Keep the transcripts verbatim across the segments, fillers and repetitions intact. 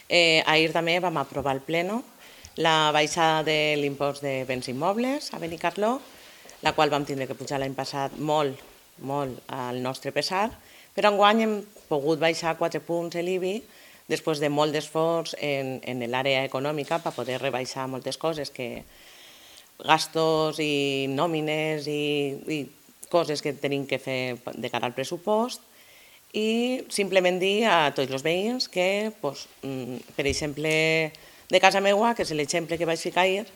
Eh, ahir també vam aprovar al Pleno la baixada de l'impost de béns immobles a Benicarló, la qual vam tindre que pujar l'any passat molt, molt al nostre pesar, però enguany hem pogut baixar quatre punts l'I B I després de molt d'esforç en, en l'àrea econòmica per poder rebaixar moltes coses, que gastos i nòmines i, i coses que tenim que fer de cara al pressupost, i simplement dir a tots els veïns que, pues, per exemple, de casa meua, que és l'exemple que vaig ficar ahir,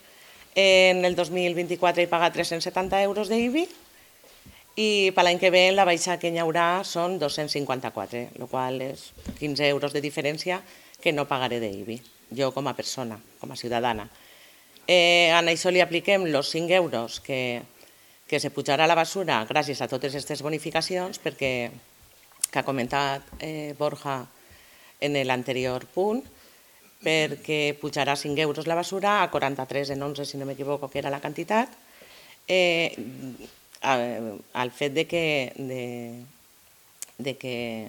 en el dos mil vint-i-quatre he pagat tres-cents setanta euros d'I B I i per l'any que ve la baixa que hi haurà són dos-cents cinquanta-quatre, el qual és quinze euros de diferència que no pagaré d'I B I, jo com a persona, com a ciutadana. Eh, a això li apliquem els cinc euros que, que se pujarà a la basura gràcies a totes aquestes bonificacions, perquè que ha comentat eh, Borja en l'anterior punt, perquè pujarà cinc euros la basura a quaranta-tres en onze, si no m'equivoco, que era la quantitat. Eh, al fet de que, de, de que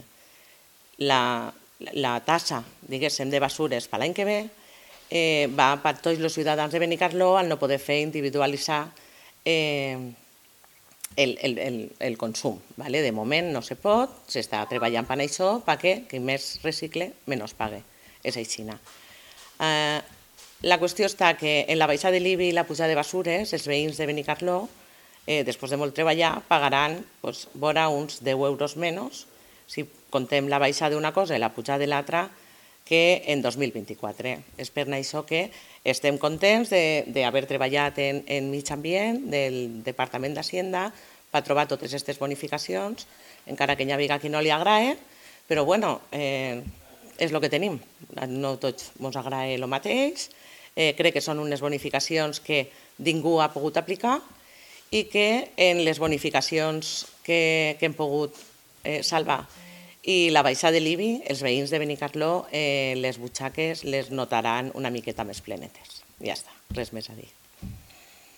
la, la tassa, diguéssim, de basures per l'any que ve eh, va per tots els ciutadans de Benicarló al no poder fer individualitzar eh, El, el, el, el consum. ¿vale? De moment no se pot, s'està treballant per això, perquè qui més recicle menys pague. És així. Eh, la qüestió està que en la baixada de l'I B I i la pujada de basures, els veïns de Benicarló, eh, després de molt treballar, pagaran pues, vora uns deu euros menys si contem la baixada d'una cosa i la pujada de l'altra que en dos mil vint-i-quatre. És per això que estem contents d'haver treballat en, en mig ambient del Departament d'Hacienda per trobar totes aquestes bonificacions, encara que hi hagi qui no li agrada, però bueno, eh, és el que tenim. No tots ens agrada el mateix, eh, crec que són unes bonificacions que ningú ha pogut aplicar i que en les bonificacions que, que hem pogut eh, salvar i la baixada de l'I B I, els veïns de Benicarló, eh, les butxaques les notaran una miqueta més plenetes. Ja està, res més a dir.